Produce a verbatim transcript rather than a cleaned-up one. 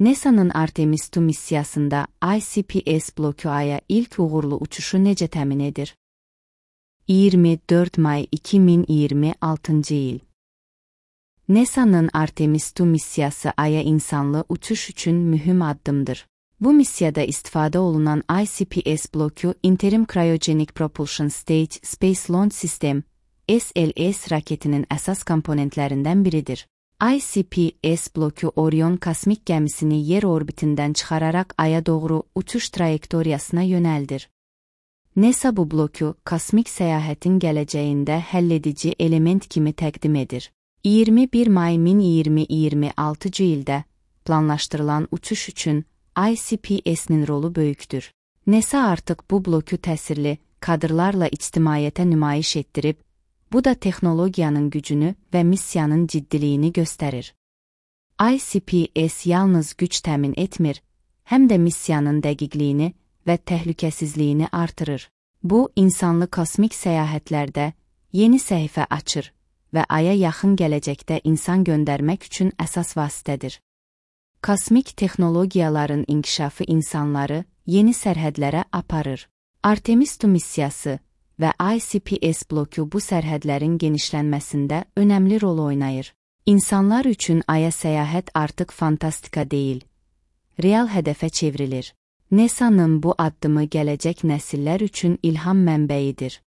NASA'nın Artemis iki missiyasında I C P S bloku Ay'a ilk uğurlu uçuşu necə təmin edir? iyirmi dörd may iki min iyirmi altıncı il. NASA'nın Artemis iki missiyası Ay'a insanlı uçuş üçün mühüm addımdır. Bu missiyada istifadə olunan I C P S bloku Interim Cryogenic Propulsion Stage Space Launch System S L S raketinin əsas komponentlərindən biridir. I C P S bloku Orion kosmik gəmisini yer orbitindən çıxararaq Ay'a doğru uçuş trayektoriyasına yönəldir. NASA bu bloku kosmik səyahətin gələcəyində həlledici element kimi təqdim edir. iyirmi bir may min iyirmi altıncı ildə planlaşdırılan uçuş üçün I C P S'nin rolu böyükdür. NASA artıq bu bloku təsirli kadrlarla ictimaiyyətə nümayiş etdirib, bu da texnologiyanın gücünü və missiyanın ciddiliyini göstərir. I C P S yalnız güc təmin etmir, həm də missiyanın dəqiqliyini və təhlükəsizliyini artırır. Bu, insanlı kosmik səyahətlərdə yeni səhifə açır və Ay'a yaxın gələcəkdə insan göndərmək üçün əsas vasitədir. Kosmik texnologiyaların inkişafı insanları yeni sərhədlərə aparır. Artemis iki missiyası və I C P S bloku bu sərhədlərin genişlənməsində önəmli rol oynayır. İnsanlar üçün Ay'a səyahət artıq fantastika deyil, real hədəfə çevrilir. NASA'nın bu addımı gələcək nəsillər üçün ilham mənbəyidir.